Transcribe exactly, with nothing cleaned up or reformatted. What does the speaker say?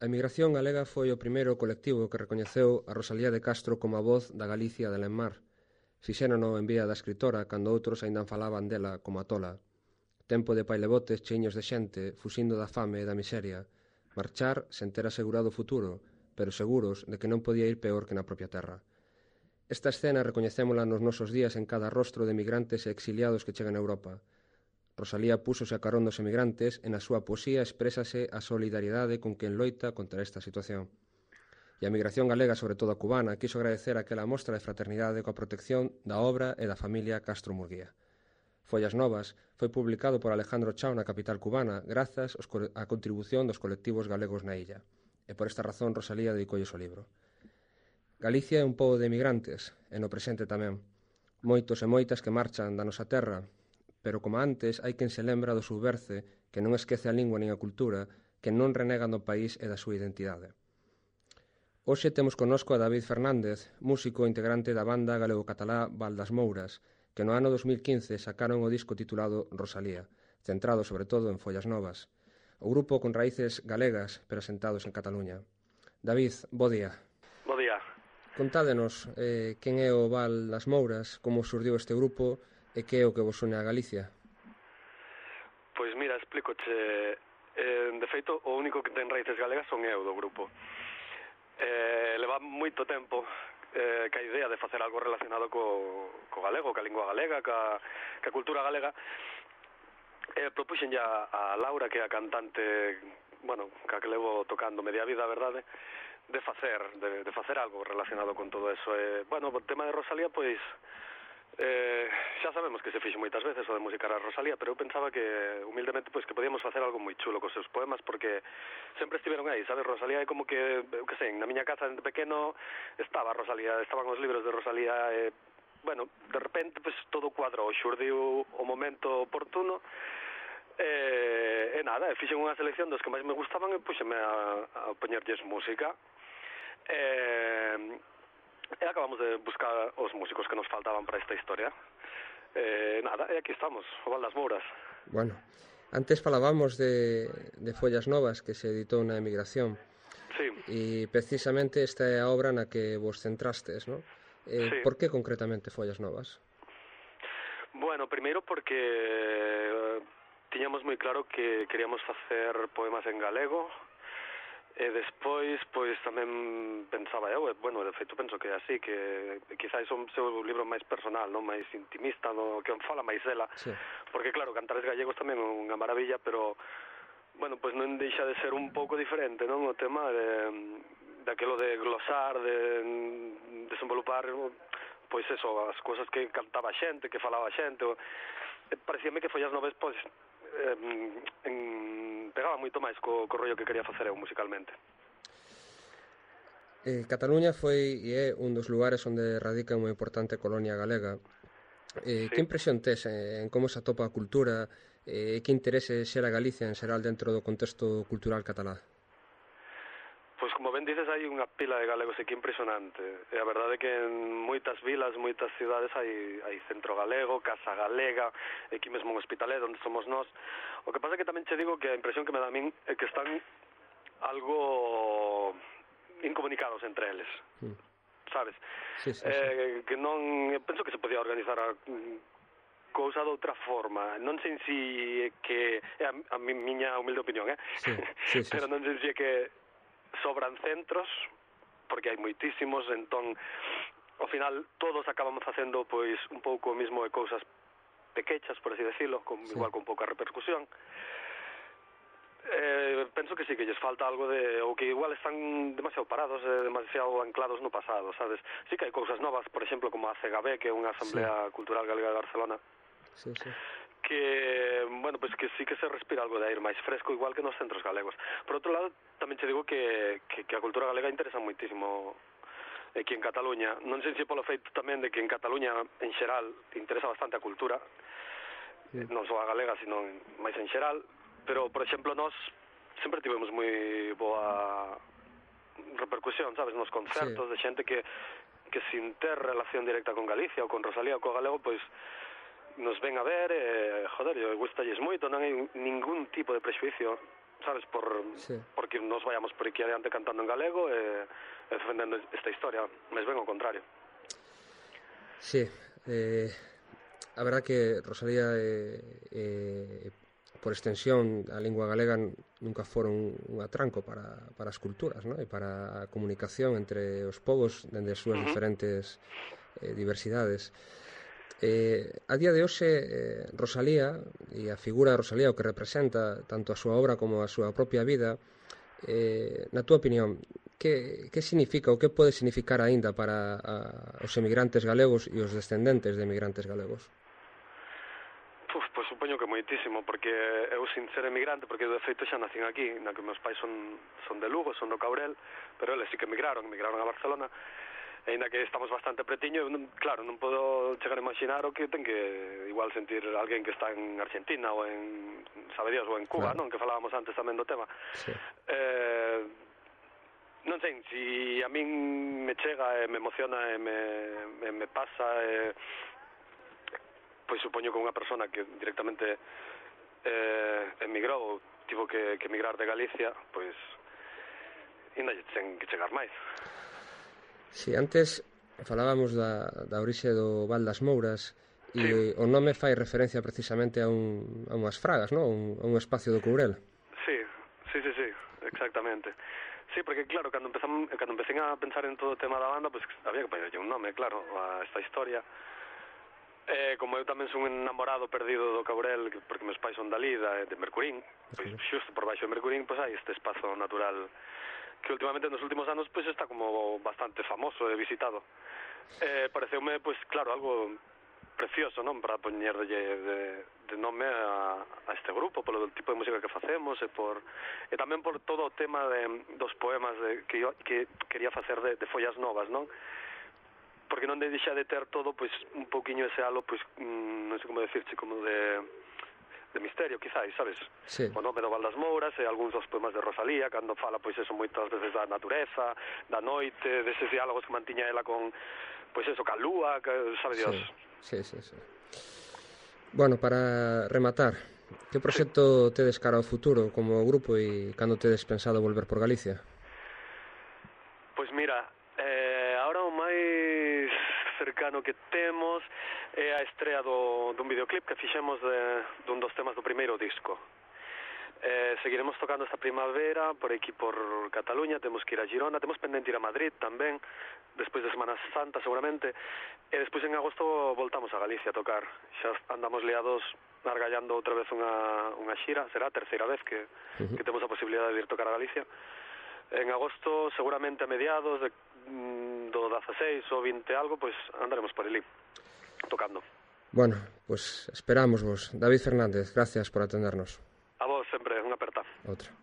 A emigración galega foi o primeiro colectivo que recoñeceu a Rosalía de Castro como a voz da Galicia de Lenmar. Fixérono en vía da escritora cando outros aínda falaban dela como a tola. Tempo de pailebotes cheiños de xente, fuxindo da fame e da miseria. Marchar sen ter asegurado o futuro, pero seguros de que non podía ir peor que na propia terra. Esta escena recoñecémola nos nosos días en cada rostro de emigrantes e exiliados que chegan a Europa. Rosalía púsose a carón dos emigrantes e na súa poesía exprésase a solidariedade con quen loita contra esta situación. E a emigración galega, sobre todo a cubana, quiso agradecer aquela mostra de fraternidade coa protección da obra e da familia Castro Murguía. Follas Novas foi publicado por Alejandro Chao na capital cubana grazas á contribución dos colectivos galegos na illa. E por esta razón Rosalía dedicoulles o libro. Galicia é un pobo de emigrantes, e no presente tamén. Moitos e moitas que marchan da nosa terra, pero como antes hai quen se lembra do subverce, que non esquece a lingua nin a cultura, que non renega do país e da súa identidade. Hoxe temos connosco a David Fernández, músico integrante da banda galego-catalá Val das Mouras, que no ano dos mil quince sacaron o disco titulado Rosalía, centrado sobre todo en Follas Novas. O grupo con raíces galegas, pero asentados en Cataluña. David, bo día. Bo día. Contádenos eh, quen é o Val das Mouras, como surdiu este grupo e que é o que vos une a Galicia. Pois mira, explícoche. Eh, de feito, o único que ten raíces galegas son eu do grupo. Eh, leva moito tempo eh, que a idea de facer algo relacionado co, co galego, ca lingua galega, ca, ca cultura galega. Eh, propuxen ya a Laura, que é a cantante, bueno, ca que levo tocando media vida, a verdade, de facer, de, de facer algo relacionado con todo eso. Eh, bueno, o tema de Rosalía, pois, Eh, xa sabemos que se fixe moitas veces o de musicar a Rosalía, pero eu pensaba que, humildemente, pois que podíamos facer algo moi chulo cos seus poemas, porque sempre estiveron aí, sabes? Rosalía é como que, eu que sei, na miña casa de pequeno estaba Rosalía, estaban os libros de Rosalía, e, bueno, de repente, pois, todo cuadrou, xurdiu o momento oportuno, e, e nada, e fixen unha selección dos que máis me gustaban e puxeme a, a poñerlles música, e... E acabamos de buscar os músicos que nos faltaban para esta historia. Eh, nada, e aquí estamos, o Val das Mouras. Bueno, antes falábamos de, de Follas Novas, que se editou na emigración. Sí. E precisamente esta é a obra na que vos centrastes, non? Eh, sí. Por que concretamente Follas Novas? Bueno, primeiro porque eh, tiñamos moi claro que queríamos facer poemas en galego. E despois, pois, tamén pensaba eu, e, bueno, de feito penso que é así, que quizás é o seu libro máis personal, non, máis intimista, no, que fala máis dela, sí. Porque, claro, Cantares Gallegos tamén é unha maravilla, pero, bueno, pois non deixa de ser un pouco diferente, non, o tema de, daquelo de glosar, de desenvolupar, pois eso, as cousas que cantaba a xente, que falaba a xente, o, parecíame que Follas Novas, pois, eh, en, pegaba moito máis co, co rollo que quería facer eu musicalmente. Eh, Cataluña foi e é un dos lugares onde radica unha importante colonia galega. Eh, sí. Que impresión tes en como se atopa a cultura e eh, que interese xera Galicia en xeral dentro do contexto cultural catalá? Pois como ben dices, hai unha pila de galegos aquí impresionante. E a verdade é que en moitas vilas, moitas cidades hai, hai centro galego, casa galega, aquí mesmo en Hospitalet, onde somos nós. O que pasa é que tamén che digo que a impresión que me dá a min é que están algo incomunicados entre eles, mm. sabes? Sí, sí, eh, sí. Que non, penso que se podía organizar a cousa de outra forma. Non sei si que é a, a miña humilde opinión, eh? Sí, sí, sí, pero non sei si é que sobran centros, porque hai moitísimos, entón, ao final, todos acabamos facendo, pois, un pouco o mismo de cousas pequechas, por así decirlo, con, sí. igual con pouca repercusión. Eh, penso que sí, que lles falta algo de... ou que igual están demasiado parados, eh, demasiado anclados no pasado, sabes? Sí que hai cousas novas, por exemplo, como a C G B, que é unha Asamblea sí. Cultural Galega de Barcelona, sí, sí. que, bueno, pues que sí que se respira algo de aire máis fresco, igual que nos centros galegos. Por outro lado, tamén te digo que, que, que a cultura galega interesa moitísimo aquí en Cataluña. Non sei se polo feito tamén de que en Cataluña, en xeral, interesa bastante a cultura, sí. non só a galega, sino máis en xeral, pero, por exemplo, nós sempre tivemos moi boa repercusión, sabes, nos concertos, sí. de xente que, que sin ter relación directa con Galicia ou con Rosalía ou co galego, pois nos ven a ver e, joder, eu gustalles moito, non hai ningún tipo de prexuicio, sabes, por sí. porque nos vayamos por aquí adiante cantando en galego e, e defendendo esta historia, mes ben ao contrario. Sí, eh, a verdad que Rosalía e, eh, por extensión a lingua galega nunca foron un atranco para, para as culturas, ¿no? E para a comunicación entre os povos dende as súas uh-huh. diferentes eh, diversidades. Eh, a día de hoxe eh, Rosalía e a figura de Rosalía, o que representa tanto a súa obra como a súa propia vida, eh, na túa opinión, que, que significa ou que pode significar aínda para a, os emigrantes galegos e os descendentes de emigrantes galegos? Puf, pois supoño que moitísimo, porque eu sin ser emigrante, porque eu de feito xa nacín aquí, na que meus pais son, son de Lugo, son do Caurel, pero eles sí que emigraron, emigraron a Barcelona, e ainda que estamos bastante pretiño, non, claro, non podo chegar a imaginar o que ten que igual sentir alguén que está en Argentina ou en, sabe Dios, ou en Cuba, claro. Non? Que falábamos antes tamén do tema. Sí. Eh, non sei, si a min me chega e me emociona e me, me, me pasa e... pois supoño que unha persona que directamente eh, emigrou, tivo que, que emigrar de Galicia, pois ainda ten que chegar máis. Si, sí, antes falábamos da, da orixe do Val das Mouras e sí. O nome fai referencia precisamente a, un, a unhas fragas, non? Un, a un espacio do Courel. Sí, sí, sí, sí, exactamente. Sí, porque claro, cando empezamos, cando empecé a pensar en todo o tema da banda, pois pues, había que poñerlle un nome, claro, a esta historia. Eh, como eu tamén son un enamorado perdido do Caurel, porque meus pais son dali, da, de Mercurín, pois xusto por baixo de Mercurín, pois hai este espazo natural que últimamente nos últimos anos pois está como bastante famoso e visitado. Eh, pareceume, pois claro, algo precioso, non? Para poñerlle de, de nome a, a este grupo, polo tipo de música que facemos e por e tamén por todo o tema de, dos poemas de, que, eu, que quería facer de, de follas novas, non? Porque non deixa de ter todo, pois, un pouquiño ese halo, pois, mmm, non sei como decirche, como de, de misterio, quizáis, sabes? Sí. O nome do Val das Mouras e algúns dos poemas de Rosalía, cando fala, pois, eso, moitas veces da natureza, da noite, deses diálogos que mantiña ela con, pois, eso, ca lúa, que, sabe Dios. Sí, sí, sí, sí. Bueno, para rematar, que proxecto sí. tedes cara ao futuro como grupo e cando tedes pensado volver por Galicia? Pois mira, eh, ahora o máis cercano que temos é a estrea do, dun videoclip que fixemos de, dun dos temas do primeiro disco. Eh, seguiremos tocando esta primavera por aquí por Cataluña, temos que ir a Girona, temos pendente ir a Madrid tamén, despois de Semana Santa seguramente, e despois en agosto voltamos a Galicia a tocar. Xa andamos liados argallando outra vez unha, unha xira, será a terceira vez que, uh-huh. que temos a posibilidade de ir tocar a Galicia. En agosto, seguramente a mediados de, do dieciséis ou vinte algo, pois andaremos por ali, tocando. Bueno, pues esperamos vos. David Fernández, gracias por atendernos. A vos sempre, unha aperta. Outra.